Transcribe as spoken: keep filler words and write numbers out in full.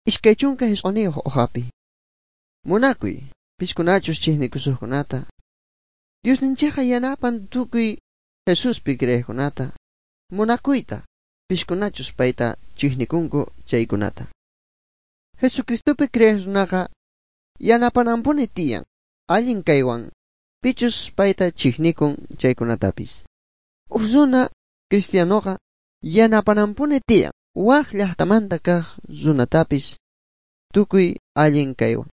Iskay chunka hisq'uniyuq uqapi. Munakuy, piskunachus chiqnikusuqkunata. Diosninchikqa yanapan tukuy Jesuspi creeqkunata. Munakuyta, piskunachus payta chiqnikunku chaykunata. Jesucristopi creeq runaqa yanapananpuni tiyan allin kaywan pichus payta chiqnikun chaykunatapis. Huk runa cristianoqa yanapananpuni tiyan wak llaqtamanta kaq runatapis tukuy allin kaywan.